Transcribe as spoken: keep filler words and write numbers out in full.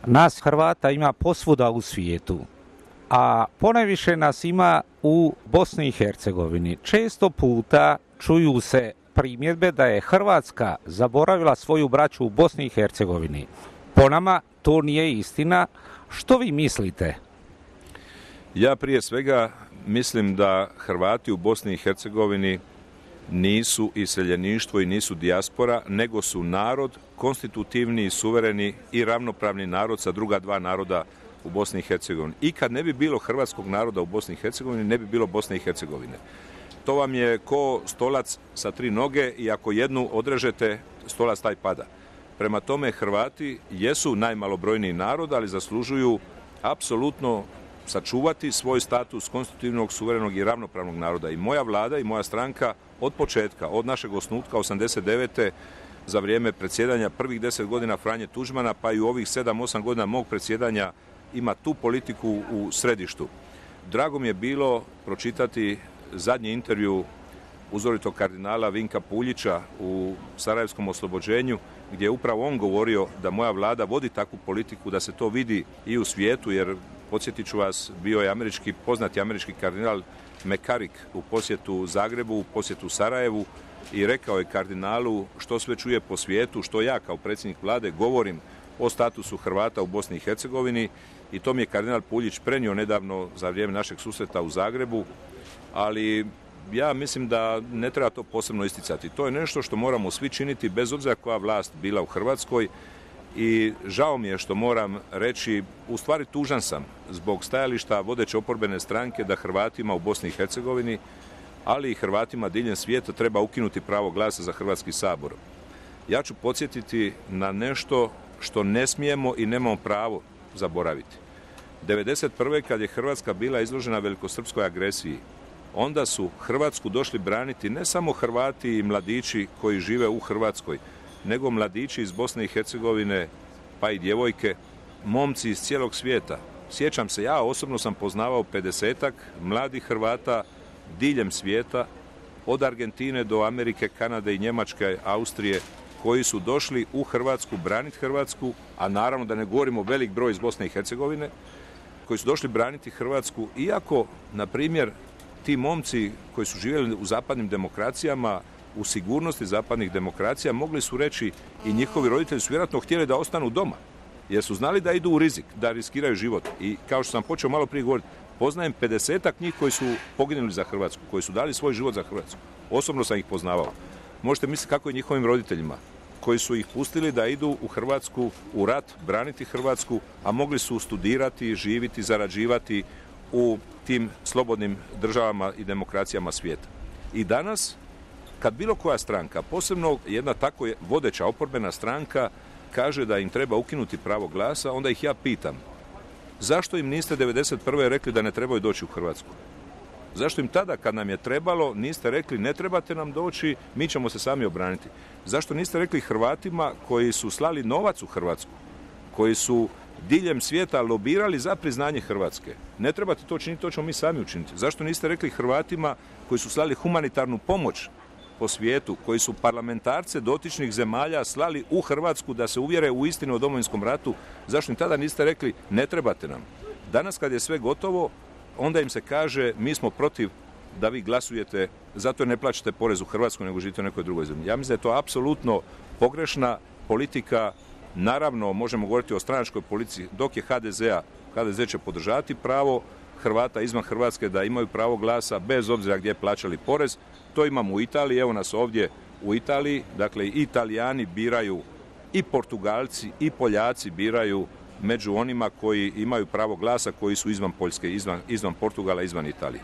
Nas Hrvata ima posvuda u svijetu, a ponajviše nas ima u Bosni i Hercegovini. Često puta čuju se primjedbe da je Hrvatska zaboravila svoju braću u Bosni i Hercegovini. Po nama to nije istina. Što vi mislite? Ja prije svega mislim da Hrvati u Bosni i Hercegovini nisu iseljeništvo i nisu dijaspora, nego su narod, konstitutivni, suvereni i ravnopravni narod sa druga dva naroda u Bosni i Hercegovini. I kad ne bi bilo hrvatskog naroda u Bosni i Hercegovini, ne bi bilo Bosne i Hercegovine. To vam je ko stolac sa tri noge i ako jednu odrežete, stolac taj pada. Prema tome, Hrvati jesu najmalobrojniji narod, ali zaslužuju apsolutno sačuvati svoj status konstitutivnog, suverenog i ravnopravnog naroda. I moja vlada i moja stranka od početka, od našeg osnutka osamdeset devete za vrijeme predsjedanja prvih deset godina Franje Tuđmana, pa i u ovih sedam osam godina mog predsjedanja ima tu politiku u središtu. Drago mi je bilo pročitati zadnji intervju uzoritog kardinala Vinka Puljića u Sarajevskom oslobođenju, gdje je upravo on govorio da moja vlada vodi takvu politiku, da se to vidi i u svijetu, jer podsjetit ću vas, bio je američki, poznati američki kardinal McCarrick u posjetu Zagrebu, u posjetu Sarajevu i rekao je kardinalu što sve čuje po svijetu, što ja kao predsjednik vlade govorim o statusu Hrvata u Bosni i Hercegovini, i to mi je kardinal Puljić prenio nedavno za vrijeme našeg susreta u Zagrebu, ali ja mislim da ne treba to posebno isticati. To je nešto što moramo svi činiti bez obzira koja vlast bila u Hrvatskoj i žao mi je što moram reći, u stvari tužan sam zbog stajališta vodeće oporbene stranke da Hrvatima u Bosni i Hercegovini, ali i Hrvatima diljem svijeta treba ukinuti pravo glasa za Hrvatski sabor. Ja ću podsjetiti na nešto što ne smijemo i nemamo pravo zaboraviti. devedeset prve kad je Hrvatska bila izložena velikosrpskoj agresiji, onda su Hrvatsku došli braniti ne samo Hrvati i mladići koji žive u Hrvatskoj, nego mladići iz Bosne i Hercegovine, pa i djevojke, momci iz cijelog svijeta. Sjećam se, ja osobno sam poznavao pedesetak mladih Hrvata diljem svijeta, od Argentine do Amerike, Kanade i Njemačke, Austrije, koji su došli u Hrvatsku braniti Hrvatsku, a naravno da ne govorimo velik broj iz Bosne i Hercegovine, koji su došli braniti Hrvatsku, iako, na primjer, ti momci koji su živjeli u zapadnim demokracijama, u sigurnosti zapadnih demokracija, mogli su reći i njihovi roditelji su vjerojatno htjeli da ostanu doma, jer su znali da idu u rizik, da riskiraju život. I kao što sam počeo malo prije govoriti, poznajem pedesetak njih koji su poginuli za Hrvatsku, koji su dali svoj život za Hrvatsku. Osobno sam ih poznavao. Možete misliti kako je njihovim roditeljima, koji su ih pustili da idu u Hrvatsku, u rat, braniti Hrvatsku, a mogli su studirati, živiti, zarađivati u tim slobodnim državama i demokracijama svijeta. I danas, kad bilo koja stranka, posebno jedna tako vodeća oporbena stranka, kaže da im treba ukinuti pravo glasa, onda ih ja pitam, zašto im niste devedeset prve rekli da ne trebaju doći u Hrvatsku? Zašto im tada, kad nam je trebalo, niste rekli ne trebate nam doći, mi ćemo se sami obraniti? Zašto niste rekli Hrvatima koji su slali novac u Hrvatsku, koji su diljem svijeta lobirali za priznanje Hrvatske? Ne trebate to činiti, to ćemo mi sami učiniti. Zašto niste rekli Hrvatima koji su slali humanitarnu pomoć po svijetu, koji su parlamentarce dotičnih zemalja slali u Hrvatsku da se uvjere u istinu o Domovinskom ratu, zašto im tada niste rekli ne trebate nam? Danas kad je sve gotovo, onda im se kaže mi smo protiv da vi glasujete, zato ne plaćate porez u Hrvatskoj nego živite u nekoj drugoj zemlji. Ja mislim da je to apsolutno pogrešna politika. Naravno, možemo govoriti o stranačkoj politici, dok je ha de zea, ha de ze će podržati pravo Hrvata izvan Hrvatske da imaju pravo glasa bez obzira gdje plaćali porez. To imamo u Italiji, evo nas ovdje u Italiji, dakle i Italijani biraju, i Portugalci i Poljaci biraju među onima koji imaju pravo glasa, koji su izvan Poljske, izvan, izvan Portugala, izvan Italije.